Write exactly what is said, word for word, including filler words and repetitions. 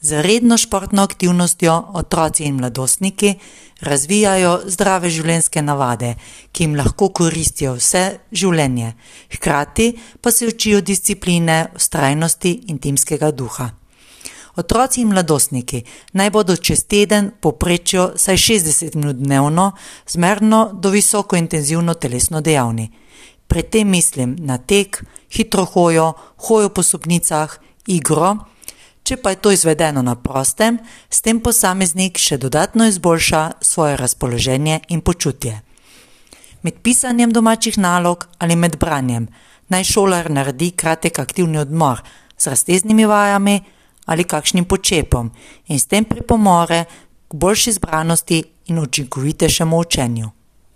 Z redno športno aktivnostjo otroci in mladostniki razvijajo zdrave življenjske navade, ki jim lahko koristijo vse življenje, hkrati pa se učijo discipline, vztrajnosti in timskega duha. Otroci in mladostniki naj bodo čez teden povprečno vsaj šestdeset minut dnevno zmerno do visoko intenzivno telesno dejavni. Pri tem mislim na tek, hitro hojo, hojo po stopnicah, igro. Če pa je to izvedeno na prostem, s tem posameznik še dodatno izboljša svoje razpoloženje in počutje. Med pisanjem domačih nalog ali med branjem naj šolar naredi kratek aktivni odmor z razteznimi vajami ali kakšnim počepom in s tem pripomore k boljši zbranosti in učinkovitejšemu učenju.